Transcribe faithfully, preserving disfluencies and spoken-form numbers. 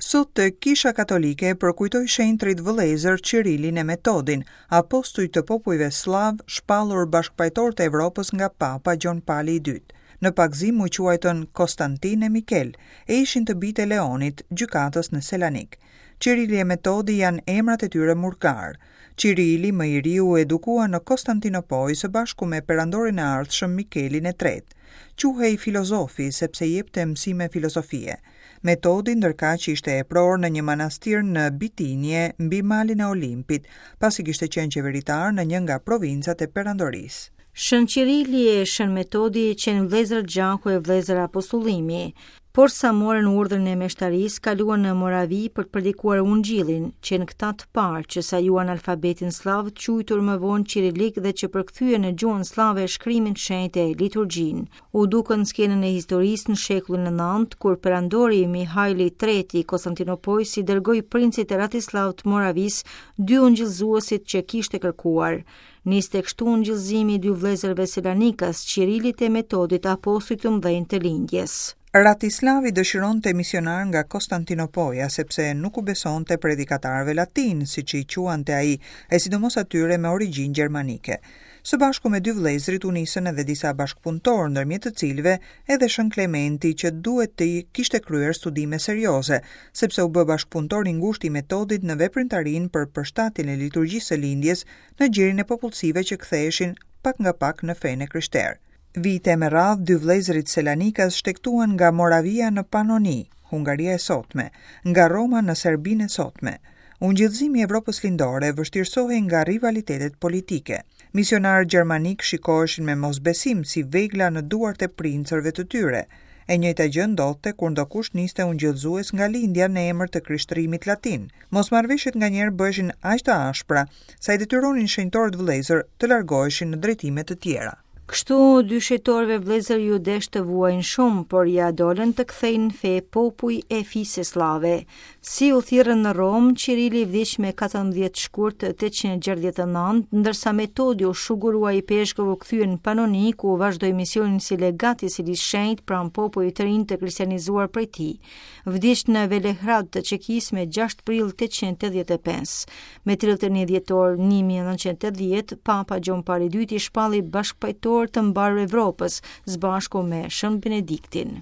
Sot Kisha Katolike përkujtoi shenjtrit vëllezër Cirilin e Metodin, apostuj të popujve sllav shpallur bashkëpajtor të Evropës nga Papa Gjon Pali i Dytë. Në pagëzim u quajtën Konstantin e Mikel, e ishin të bijtë e Leonit, gjykatës në Selanik. Cirili e Metodi janë emrat e tyre murgar. Cirili më i ri u edukua në Konstantinopojë së bashku me perandorin e ardhshëm Mikelin e Tretë. Quhej filozofi sepse jepte mësime filozofie. Metodi ndërkaq ishte epror në një manastir në Bitinie mbi malin e Olimpit, pasi kishte qenë qeveritar në një nga provincat e perandorisë. Shën Qirili e Shën Metodi qenë vëllezër gjaku e vëllezër apostullimi. Por sa morën urdhrin e meshtarisë, kaluan në Moravi për të predikuar Ungjillin, qenë këta të parë që sajuan alfabetin sllav, quajtur më vonë Qirilik dhe që përkthyen në gjuhën sllave shkrimin shenjtë e liturgjinë. U dukën skenën e historisë në shekullin e nëntë, kur perandori Mihajli i Tretë i Konstantinopojës i dërgoi princit Ratislav të Moravisë dy ungjillëzuesit që kishte kërkuar. Niste kështu ungjillëzimi i dy vëllezërve selanikas, Qirilit e Metodit, apostujt të mëdhenj të lindjes. Ratislavi dëshironte misionar nga Konstantinopoja sepse nuk u besonte predikatarëve latin, siç i quante ai, e sidomos atyre me origjinë gjermanike. Së bashku me dy vëllezërit u nisën edhe disa bashkëpunëtorë, ndërmjet të cilëve edhe Shën Klementi, që duhet të kishte kryer studime serioze, sepse u bë bashkëpunëtor i ngushtë i Metodit në veprimtarinë për përshtatjen e liturgjisë së lindjes në gjirin e popullsive që ktheheshin pak nga pak në fenë e krishterë. Vite me radhë, dy vëllezërit selanikas shtegtuan nga Moravia në Panoni, Hungaria e sotme, nga Roma në Serbinë e sotme. Ungjillëzimi i Evropës Lindore vështirësohej nga rivalitetet politike. Misionarët gjermanik shikoheshin me mosbesim si vegla në duart e princërve të tyre. E njëjta gjë ndodhte kur ndokush niste ungjillëzues nga lindja në emër të krishtrimit latin. Mosmarrëveshjet nganjëherë bëheshin aq të ashpra sa i detyronin shenjtorët vëllezër të largoheshin në drejtime të tjera. Kështu, dy shenjtorëve vëllezër ju desh të vuajnë shumë, por ja dolën të kthejnë fe popuj e fise sllave. Si u thirrën në Romë, Qirili vdiq me katërmbëdhjetë shkurt tetëqind e gjashtëdhjetë e nëntë, ndërsa Metodi u shugurua ipeshkëv u kthye në Panoni, ku vazhdoi misionin si legat i Selisë Shenjtë pranë popujve të rinj të kristianizuar prej tij. Vdiq në Velehrad të Çekisë me gjashtë prill tetëqind e tetëdhjetë e pesë. Me tridhjetë e një dhjetor një mijë e nëntëqind e tetëdhjetë, Papa Gjon Pali i Dytë i shpalli bashkëpajtor të mbarë Evropës, së bashku me Shën Benediktin.